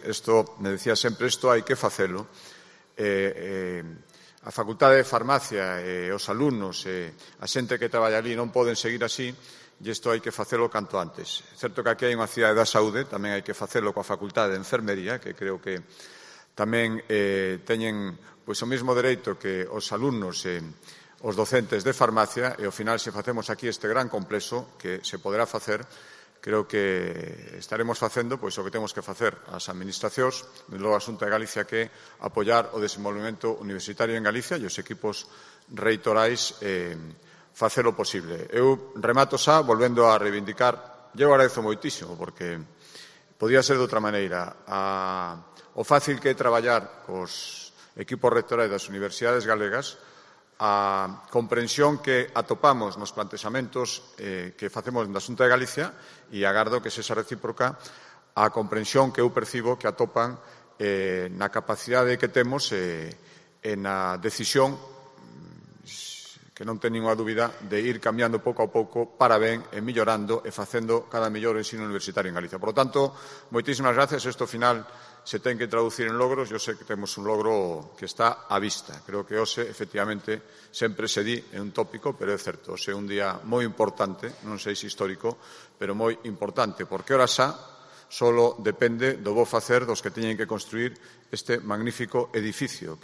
isto, me decía sempre, isto hai que facelo. A Facultade de Farmacia e os alumnos e a xente que traballa ali non poden seguir así e isto hai que facelo canto antes. É certo que aquí hai unha cidade da saúde, tamén hai que facelo coa Facultade de Enfermería, que creo que tamén teñen o mesmo dereito que os alumnos e os docentes de farmacia e, ao final, se facemos aquí este gran complexo que se poderá facer, creo que estaremos facendo o que temos que facer as administracións, e logo a Xunta de Galicia, que apoiar o desenvolvemento universitario en Galicia e os equipos reitorais facelo posible. Eu remato xa volvendo a reivindicar, eu agradezo moitísimo, porque podía ser de outra maneira, o fácil que é traballar cos equipos rectorais das universidades galegas, a comprensión que atopamos nos plantexamentos que facemos na Xunta de Galicia e agardo que sexa recíproca a comprensión que eu percibo que atopan na capacidade que temos e na decisión que non ten ninguna dúbida de ir cambiando pouco a pouco para ben e millorando e facendo cada mellor ensino universitario en Galicia. Por lo tanto, moitísimas gracias. Isto, ao final, se ten que traducir en logros. Eu sei que temos un logro que está á vista. Creo que hoxe, efectivamente, sempre se di, é un tópico, pero é certo. Hoxe é un día moi importante, non sei se histórico, pero moi importante, porque ora xa só depende do bo facer dos que teñen que construir este magnífico edificio.